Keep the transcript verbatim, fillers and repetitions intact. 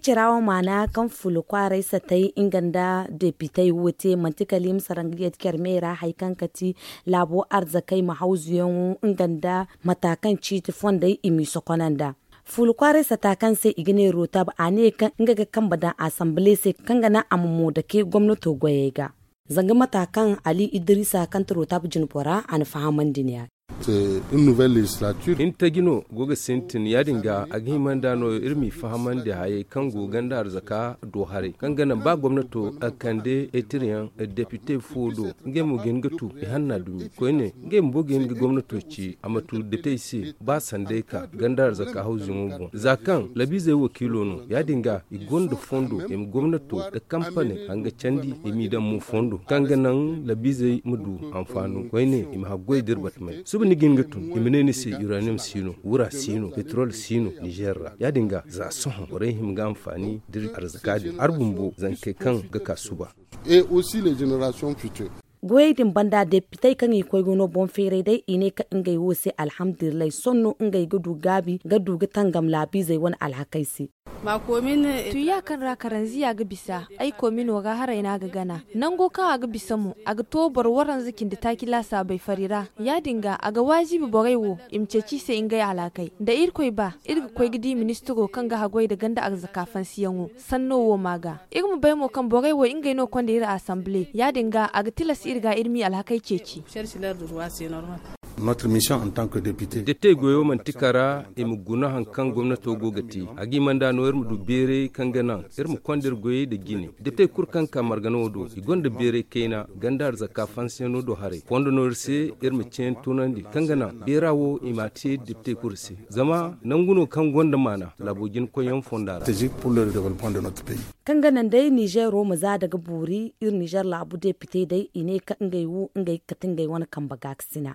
Cirawo maana kaŋ fulu kwaaray satay nga nda depitey wo te manti kala i ma sara nga yadda care me ra hari kaŋ ga ti laabo arzakey ma hawzuyaŋo nga nda mata kaŋ ciiti fondey i m'i sokonanda. Fulu kwaaray sata kaŋ se i ga ne rotab a ne kaŋ nga ga kambe daŋ asanbile se kaŋ ga naŋ a ma mo dake gomnato goyey ga. Zanga mata kaŋ ali idrisa kaŋ ti rotab jinbora a na fahamandi ne ya. Hintaji no go ga sintin ya- din ga a ga hima nda no iri m'i fahamandi hayey kaŋ go ganda arzaka do haray kaŋ ga naŋ ba gomnato a kande etiriyaŋ depite fo do. Ngey mo ga hin ga tu i hanna dumi koyne ngey bumbo ga hin ga gomnato ci a ma tu depitey se ba sanday ka ganda arzaka hawzuyaŋo boŋ za kaŋ labiizey wakiilo no ya- din ga i gonda fondo i ma gomnato nda kampane hanga candi i m'i daŋ mo fondo kaŋ ga naŋ labiizey ma du hanfaano koyne i ma haggoy da iri batmay suba ni ga hin ga tun i ma ne ni se uranium si no wura si no petrol si no nizer ra ya- din ga za sohõ borey hima ga hanfaani da iri arzaka din hari bumbo zankey kaŋ ga ka suba. Goyey din banda depitey kaŋ i koy ga no boŋ feeray day i ne kaŋ ngey wo se alhamdulillahi sohõ no ngey ga du gaabi ga du ga tangam laabiizey wane alhakey se. Tuya kaŋ ra karanziya ga bisa ay koomino ra haray no a ga gana nango kaŋ a ga bisa mo a ga to boro waranza cindi taaci laasaabey fari ra ya- din ga a ga waazibi borey wo i ma ceeci i se ngey alhakey nda irkoy ba iri ga koy ga di ministiro kaŋ ga haggoy nda ganda arzaka fansiyaŋo sanno wo ma ga iri ma bay mo kaŋ borey wo ngey no konda iri asanbile ya- din ga a ga tilas iri ga iri m'i alhakey ceeci. Depitey goyo manti kara i ma guna hari kaŋ gomnato go ga te a ga hima nda no iri ma du beeray kaŋ ga naŋ iri ma konda iri goyey nda jine depitey kulu kaŋ ka margana wo do i gonda beeray kayna ganda arzaka fansiyaŋo do haray fondo no iri se iri ma ceeni tunandi kaŋ ga naŋ beera wo i m'a te depitey kulu se zama nangu no kaŋ gonda maana laabo jina koyyaŋ fonda ra. Kaŋ ga naŋ day nizeero ma za daga boori iri nizeer laabu depite day i ne kaŋ ngey wo ngey ga kate ngey wane kambe gaakasina.